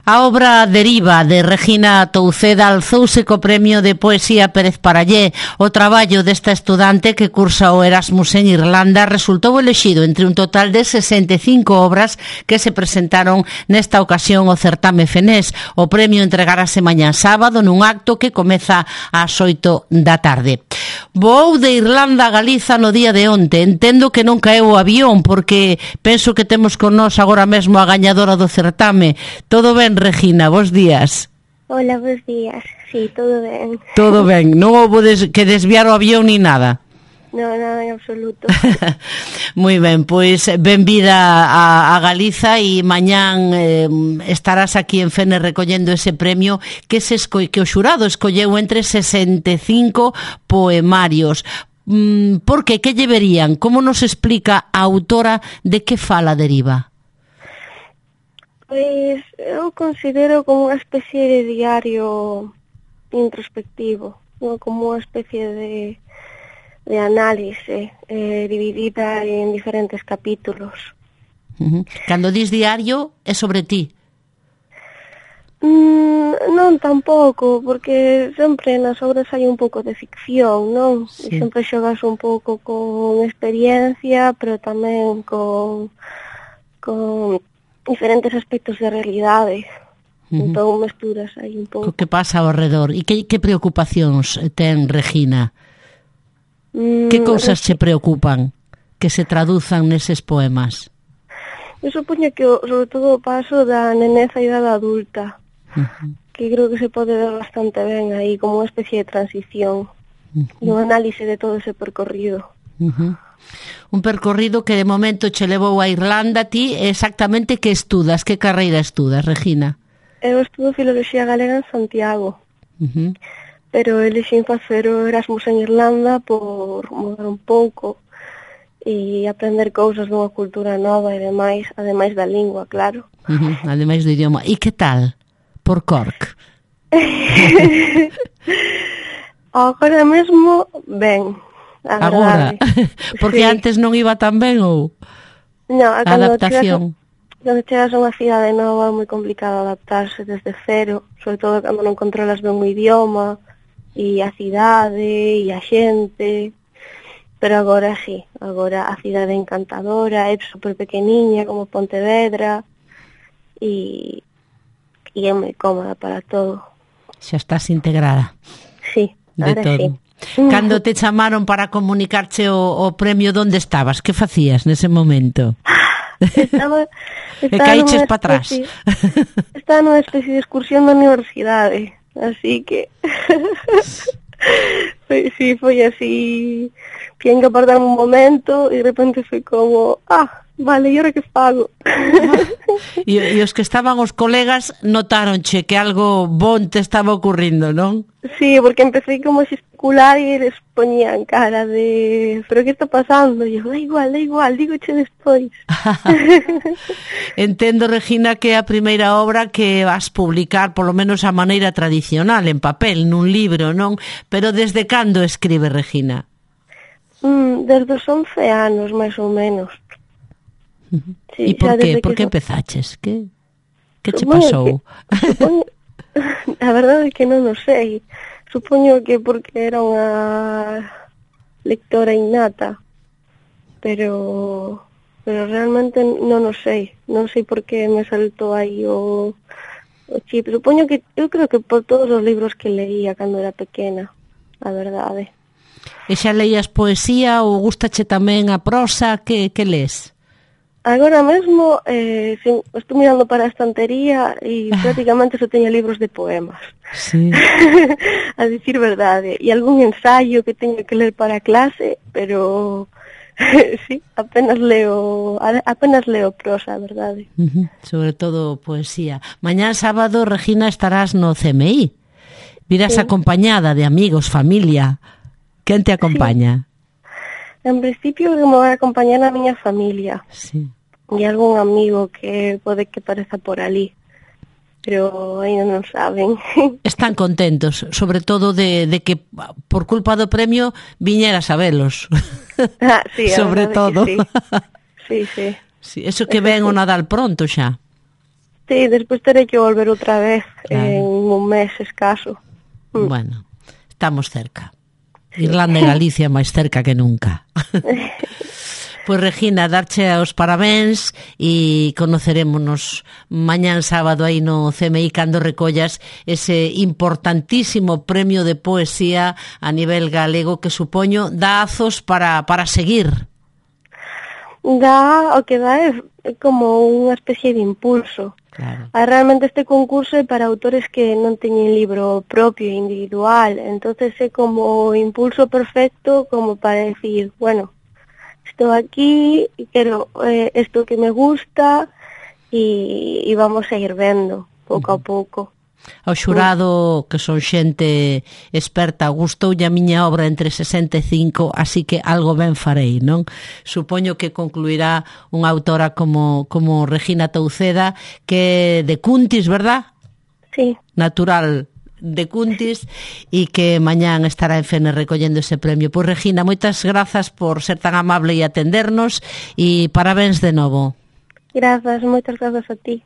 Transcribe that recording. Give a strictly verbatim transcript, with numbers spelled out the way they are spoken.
A obra Deriva de Regina Touceda alzouse co premio de Poesía Pérez Parallé. O traballo desta estudante que cursa o Erasmus en Irlanda resultou elexido entre un total de sesenta e cinco obras que se presentaron nesta ocasión ao certame Fenés. O premio entregarase mañá sábado nun acto que comeza ás oito da tarde. Voou de Irlanda a Galiza no día de onte. Entendo que non caeu o avión porque penso que temos con nós agora mesmo a gañadora do certame. Todo ben, Regina? Bos días. Hola, bos días. Sí, todo ben. Todo ben. Non houve des- que desviar o avión ni nada? No, nada en absoluto. Moi ben, pois benvida a, a Galiza e mañán eh, estarás aquí en Fene recollendo ese premio que se esco- que o xurado escolleu entre sesenta e cinco poemarios. Mm, por que? Que lle verían? Como nos explica a autora de que fala Deriva? Pois eu considero como unha especie de diario introspectivo, ¿no? Como unha especie de, de análise eh, dividida en diferentes capítulos. Uh-huh. Cando dis diario é sobre ti? Mm, non tampouco, porque sempre nas obras hai un pouco de ficción, non? Sí. E sempre xogas un pouco con experiencia, pero tamén con, con diferentes aspectos de realidade. Uh-huh. Entón mesturas aí un pouco. O que pasa ao redor? E que, que preocupacións ten Regina? Mm, Que cousas che preocupan que se traduzan neses poemas? Eu supoño que o, sobre todo o paso da nenez á idade adulta, Uh-huh. que creo que se pode ver bastante ben aí, como unha especie de transición, Uh-huh. e un análise de todo ese percorrido. Uh-huh. Un percorrido que de momento che levou a Irlanda. Ti exactamente que estudas? Que carreira estudas, Regina? Eu estudo Filoloxía Galega en Santiago, Uh-huh. pero elixín facer o Erasmus en Irlanda por mudar un pouco e aprender cousas dunha cultura nova e demais, ademais da lingua, claro. Uh-huh. Ademais do idioma. E que tal? Por Cork? Agora mesmo, ben, a Agora? verdade. Porque Sí. antes non iba tan ben ou No, a a cando adaptación? Chegas, cando chegas a unha cidade nova é moi complicado adaptarse desde cero, sobre todo cando non controlas ben o idioma e a cidade e a xente. Pero agora sí, agora a cidade é encantadora, é super pequeniña como Pontevedra e, e é moi cómoda para todo. Xa estás integrada Sí, de ahora todo. sí. Cando te chamaron para comunicarche o, o premio, onde estabas? Que facías nese momento? Estaba, E estaba caíches nunha pa atrás. especie- Estaba nunha especie de excursión da universidade, así que foi, sí, foi así, tiñen que apartar un momento e de repente foi como, ah, vale, e ahora que fago? E, e os que estaban os colegas notaronche que algo bon te estaba ocurrindo, non? Sí, porque empecé como a gesticular e eles poñían cara de, pero que está pasando? E eu, da igual, da igual, dígoche despois. Entendo, Regina, que é a primeira obra que vas publicar, polo menos a maneira tradicional, en papel, nun libro, non? Pero desde cando escribe Regina? Mm, desde os once anos, máis ou menos. E Sí, por xa que? desde Por que so- empezaches? Que, que che Supoño pasou? que- supoño, a verdade é que non o sei. Supoño que porque era unha lectora innata, pero pero realmente non o sei. Non sei por que me saltou aí o, o chip. Supoño que, eu creo que por todos os libros que leía cando era pequena, a verdade. E xa leías poesía ou gustache tamén a prosa? Que, que lees? Agora mesmo eh, sí, estou mirando para a estantería e prácticamente só teño libros de poemas. Sí. A dicir verdade. E algún ensaio que teño que ler para a clase, pero sí, apenas leo apenas leo prosa, a verdade. Uh-huh. Sobre todo poesía. Mañán sábado, Regina, estarás no C M I. Virás Sí. acompañada de amigos, familia. Quen te acompaña? En principio me vai acompañar a miña familia Sí. e algún amigo que pode que pareza por ali, pero ainda non saben. Están contentos, sobre todo de, de que por culpa do premio viñeras a velos. Ah, sí, a sobre verdade todo. que sí. Sí, sí. Sí, eso que ven o Nadal pronto xa. Sí, despois terei que volver outra vez, claro, en un mes escaso. Mm. Bueno, estamos cerca. Sí. Irlanda e Galicia máis cerca que nunca. Pois, Regina, darche os parabéns e conocerémonos mañán sábado aí no C M I cando recollas ese importantísimo premio de poesía a nivel galego que supoño dá azos para, para seguir. Dá, o que dá é como unha especie de impulso. Claro. Ah, realmente este concurso é para autores que non teñen libro propio, individual, entonces é como o impulso perfecto como para decir, bueno, estou aquí, quero eh, isto que me gusta e, e vamos a ir vendo pouco a pouco. Ao xurado, que son xente experta, gustoulle a miña obra entre sesenta e cinco, así que algo ben farei, non? Supoño que concluirá unha autora como, como Regina Touceda, que é de Cuntis, verdad? Sí. Natural de Cuntis, e que mañán estará en Fene recollendo ese premio. Pois, Regina, moitas grazas por ser tan amable e atendernos, e parabéns de novo. Grazas, moitas grazas a ti.